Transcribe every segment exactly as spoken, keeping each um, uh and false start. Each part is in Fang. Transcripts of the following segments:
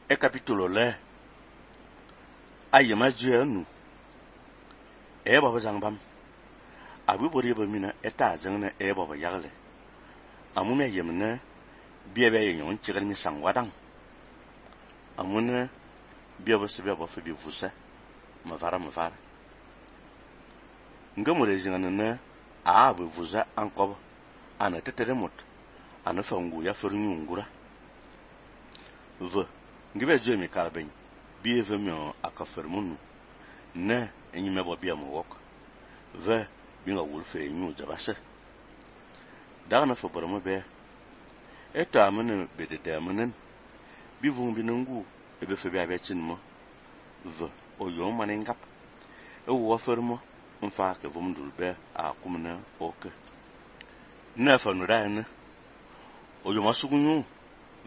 e capítulo le ayema je anu e baba zangbam abu bori ba mina eta zangne e baba yagle amume yemne biebe yenyon chigal mi sangwadang amune biebe se biebe fe bi vusa ma vara ma vara ngamure zinganne a bu vusa ankob ana tetere mot ana fangu ya fernu ngura ve ngibe je mi kalben biebe mi akafermunu ne enyi mebo bia mo wok ve binga wulfe nyu jabase daga na fo boroma be eta amene bedede amenen bivung binungu ebe fe bia bechin mo ve oyo manengap e wo fermo mfa ke vum dulbe a kumna oke na fa no da ne oyo masugunyu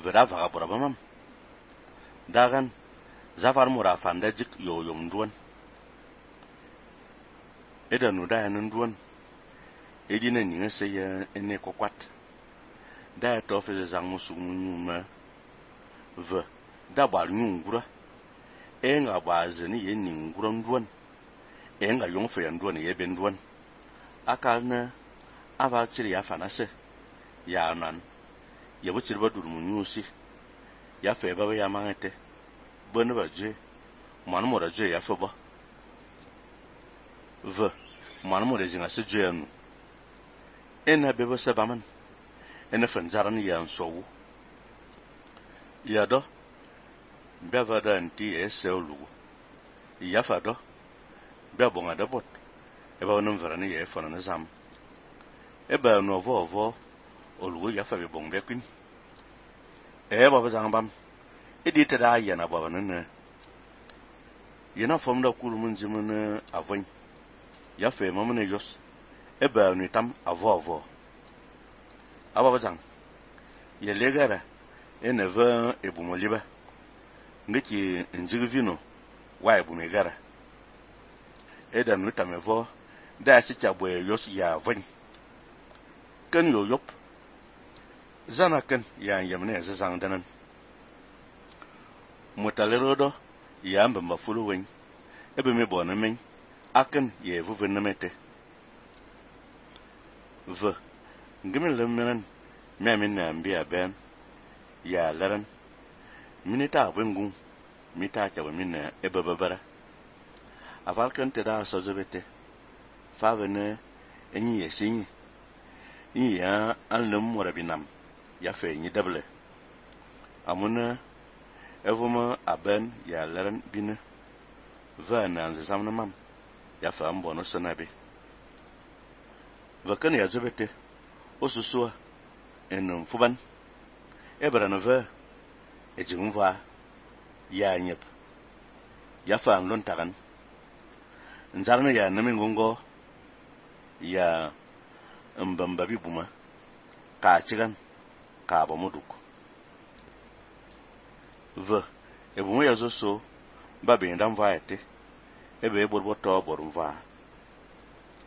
ve da vaga boraba mam dagan zafar mura fanda jik yo yom duan eda no da ne duan edina ninga se ya ene kokwat da to fe zang musugunyu ma ve da bal nyungura e nga bazeni ye ningura duan e nga yong fe duan ye ben duan akal na ava chiri ya fanase ya nan ye bu chiri ba dur munyusi ya fe ba ya mangete bonu ba je man mo da je ya fe ba ve man mo de jinga se je anu ena bebo se baman ena fanzaran ya nsowu ya do beva da nti ese olugo ya fa do be bonga da bot e ba no mverani ye fona na zam e ba no vo vo olugo ya fa be bong be kwin e ba ba zangbam e di tada ya na ba ne yana fom da kulu mun jimun avon ya fe mamune jos e ba no tam avo avo aba ba zang ye legara e ne va e bu moliba ngiki njigi vino wa e bu megara e da no tam evo da si cha boye yos ya avon kan yo yop zana kan ya yamne za zang danan mutalero do ya mba mafulu wen ebe me bona men akan ye vuve na mete ve ngimin lemmen me min na mbia ben ya laran minita wengun mita cha min na ebe babara aval kan te da so zebete fa vene enyi yesinyi iya anlem morabinam ya fe nyi dable amuna evuma aben ya laran bine va na nzamna mam ya fa mbono sonabe vakan ya zebete osusua enum fuban ebra no va ejimva ya nyep ya fa nlon tagan nzarna ya namingongo ya mbamba bibuma ka chigan ka ba muduk ve ebumo ya zo so ba be ndam va ete ebe borbo to borumva